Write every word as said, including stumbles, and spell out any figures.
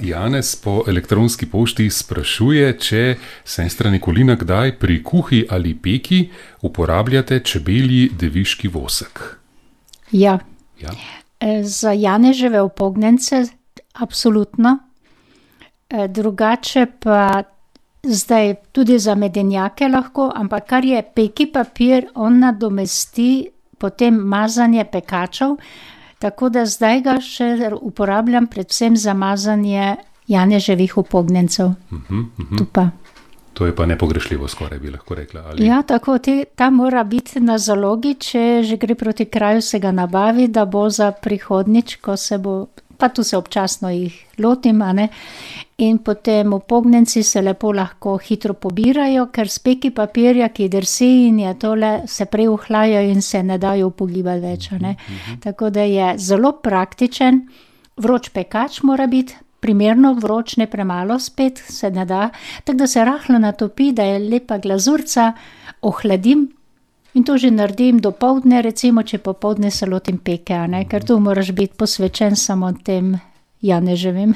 Janez po elektronski pošti sprašuje, če sestra Nikolina kdaj pri kuhi ali peki uporabljate čebelji deviški vosek. Ja. Ja. Za janeževe upognjence absolutno. Drugače pa zdaj tudi za medenjake lahko, ampak kar je peki papir, on nadomesti potem mazanje pekačev, tako da zdaj ga še uporabljam predvsem za mazanje janeževih upognjencev. Uh-huh, uh-huh. Tu pa. To je pa nepogrešljivo skoraj, bi lahko rekla. Ali... Ja, tako, te, ta mora biti na zalogi, če že gre proti kraju, se ga nabavi, da bo za prihodnič, ko se bo, pa tu se občasno jih lotim, a ne, in potem upognjenci se lepo lahko hitro pobirajo, ker s peki papirja, ki drsi in je tole, se prej uhlajajo in se ne dajo upogibati več, a ne. Uh-huh. Tako da je zelo praktičen, vroč pekač mora biti, primerno vroč, ne premalo spet, se ne da, tako da se rahlo natopi, da je lepa glazurca, ohladim in to že naredim do poldne, recimo, če popoldne se lotim peke, a ne, ker tu moraš biti posvečen samo tem janeževim.